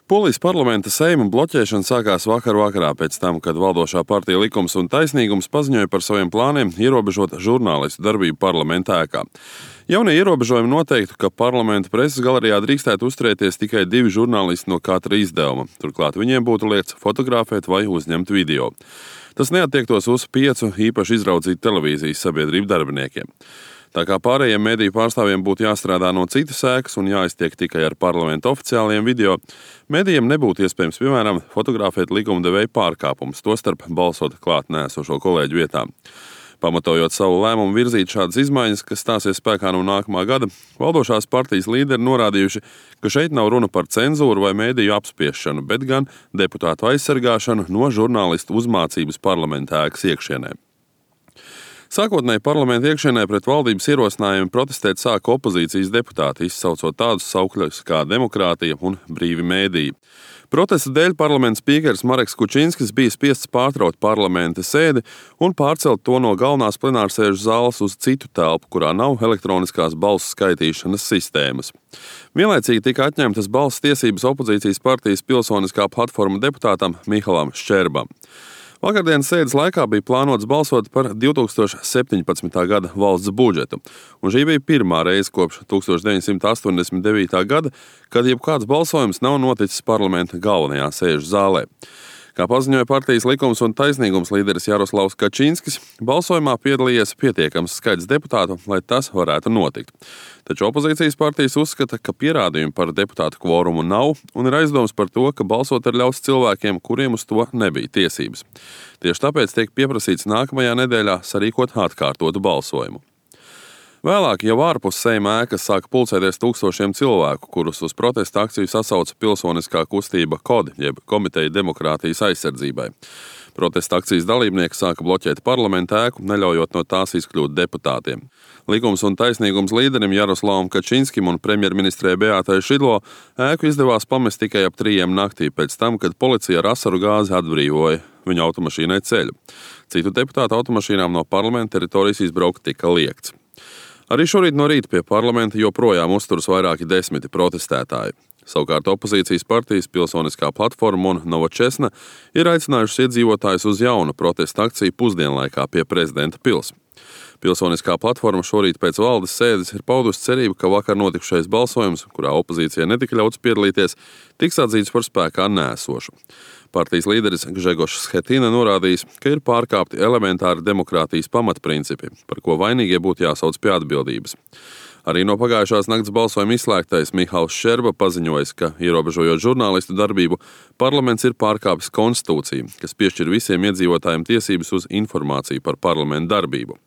Polijas parlamenta Seima bloķēšana sākās vakar vakarā pēc tam, kad valdošā partija Likums un taisnīgums paziņoja par saviem plāniem ierobežot žurnālistu darbību parlamenta ēkā. Jaunie ierobežojumi noteiktu, ka parlamenta preses galerijā drīkstētu uzturēties tikai 2 žurnālisti no katra izdevuma. Turklāt viņiem būtu liegts fotografēt vai uzņemt video. Tas neattiektos uz 5 īpaši izraudzītu televīzijas sabiedrību darbiniekiem. Tā kā pārējiem mediju pārstāvjiem būtu jāstrādā no citas ēkas un jāiztiek tikai ar parlamenta oficiālajiem video, medijiem nebūtu iespējams, piemēram, fotografēt likumdevēju pārkāpumus, tostarp balsot klāt nēsošo kolēģu vietā. Pamatojot savu lēmumu virzīt šādas izmaiņas, kas stāsies spēkā no nākamā gada, valdošās partijas līderi norādījuši, ka šeit nav runa par cenzūru vai mediju apspiešanu, bet gan deputātu aizsargāšanu no žurnālistu uzmācības parlamenta ēkas iekšienē. Sākotnēji parlamenta iekšienē pret valdības ierosinājumiem protestēt sāka opozīcijas deputāti, izsaucot tādus saukļus kā demokrātija un brīvi mēdīji. Protesta dēļ parlamenta spīkers Mareks Kučinskis bija spiests pārtraukt parlamenta sēdi un pārcelt to no galvenās plenārsēžu zāles uz citu telpu, kurā nav elektroniskās balsu skaitīšanas sistēmas. Vienlaicīgi tika atņemtas balss tiesības opozīcijas partijas Pilsoniskā platforma deputātam Mihalam Ščerbam. Vakardienas sēdes laikā bija plānots balsot par 2017. gada valsts budžetu, un šī bija pirmā reize kopš 1989. gada, kad jebkāds balsojums nav noticis parlamenta galvenajā sēžu zālē. Kā paziņoja partijas Likums un taisnīgums līderis Jaroslavs Kačinskis, balsojumā piedalījies pietiekams skaits deputātu, lai tas varētu notikt. Taču opozīcijas partijas uzskata, ka pierādījumu par deputātu kvorumu nav un ir aizdoms par to, ka balsot ir ļauts cilvēkiem, kuriem uz to nebija tiesības. Tieši tāpēc tiek pieprasīts nākamajā nedēļā sarīkot atkārtotu balsojumu. Vēlāk jau ārpus Seima ēkas sāka pulcēties tūkstošiem cilvēku, kurus uz protesta akciju sasauca pilsoniskā kustība KOD, jeb Komiteja demokrātijas aizsardzībai. Protesta akcijas dalībnieki sāka bloķēt parlamenta ēku, neļaujot no tās izkļūt deputātiem. Likums un taisnīgums līderim Jaroslavam Kačinskim un premjerministrē Beātai Šidlo ēku izdevās pamest tikai ap 3 naktī pēc tam, kad policija ar asaru gāzi atbrīvoja viņa automašīnai ceļu. Citu deputātu automašīnām no parlamenta teritorijas izbraukt tika liegts. Arī šorīt no rīta pie parlamenta joprojām uzturas vairāki 10 protestētāji. Savukārt opozīcijas partijas Pilsoniskā platforma un Novočesna ir aicinājušas iedzīvotājus uz jaunu protesta akciju pusdienlaikā pie prezidenta pils. Pilsoniskā platforma šorīt pēc valdes sēdes ir paudusi cerību, ka vakar notikušais balsojums, kurā opozīcijai netika ļauts piedalīties, tiks atzīts par spēkā nēsošu. Partijas līderis Gžegošs Schetina norādījis, ka ir pārkāpti elementāri demokrātijas pamatprincipi, par ko vainīgie būtu jāsauc pie atbildības. Arī no pagājušās nakts balsojuma izslēgtais Mihals Ščerba paziņojis, ka, ierobežojot žurnālistu darbību, parlaments ir pārkāpis konstitūciju, kas piešķir visiem iedzīvotājiem tiesības uz informāciju par parlamentu darbību.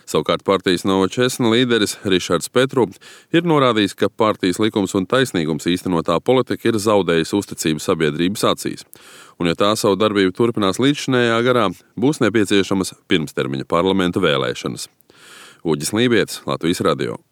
Savukārt partijas Novočesna līderis Rišards Petru ir norādījis, ka partijas Likums un taisnīgums īstenotā politika ir zaudējusi uzticību sabiedrības acīs. Un ja tā savu darbību turpinās līdzšinējā garā, būs nepieciešamas pirmstermiņa parlamenta vēlēšanas. Uģis Lībietis, Latvijas radio.